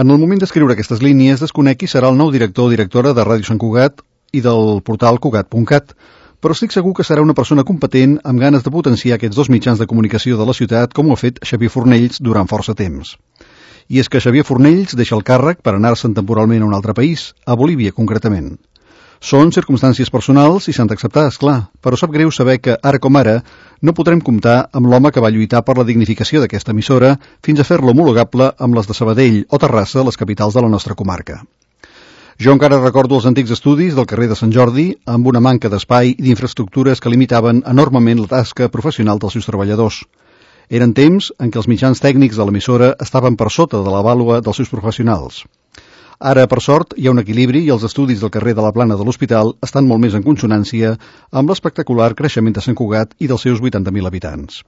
En el moment d'escriure aquestes línies desconec qui serà el nou director o directora de Ràdio Sant Cugat i del portal Cugat.cat, però estic segur que serà una persona competent amb ganes de potenciar aquests dos mitjans de comunicació de la ciutat com ho ha fet Xavier Fornells durant força temps. I és que Xavier Fornells deixa el càrrec per anar-se'n temporalment a un altre país, a Bolívia concretament. Són circumstàncies personals i s'han d'acceptar, esclar, però sap greu saber que, ara com ara, no podrem comptar amb l'home que va lluitar per la dignificació d'aquesta emissora fins a fer-la homologable amb les de Sabadell o Terrassa, les capitals de la nostra comarca. Jo encara recordo els antics estudis del carrer de Sant Jordi amb una manca d'espai i d'infraestructures que limitaven enormement la tasca professional dels seus treballadors. Eren temps en què els mitjans tècnics de l'emissora estaven per sota de la vàlua dels seus professionals. Ara, per sort, hi ha un equilibri i els estudis del carrer de la Plana de l'Hospital estan molt més en consonància amb l'espectacular creixement de Sant Cugat i dels seus 80.000 habitants.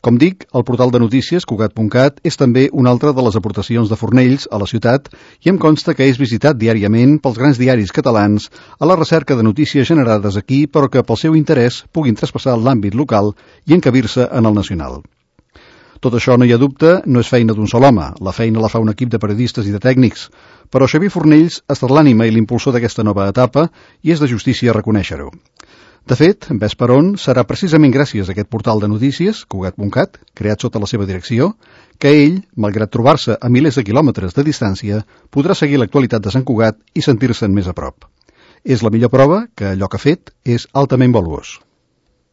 Com dic, el portal de notícies Cugat.cat és també una altra de les aportacions de Fornells a la ciutat i em consta que és visitat diàriament pels grans diaris catalans a la recerca de notícies generades aquí però que pel seu interès puguin traspassar l'àmbit local i encabir-se en el nacional. Tot això, no hi ha dubte, no és feina d'un sol home. La feina la fa un equip de periodistes i de tècnics. Però Xavier Fornells ha estat l'ànima i l'impulsor d'aquesta nova etapa i és de justícia reconèixer-ho. De fet, ves per on, serà precisament gràcies a aquest portal de notícies, Cugat.cat, creat sota la seva direcció, que ell, malgrat trobar-se a milers de quilòmetres de distància, podrà seguir l'actualitat de Sant Cugat i sentir-se'n més a prop. És la millor prova que allò que ha fet és altament valuós.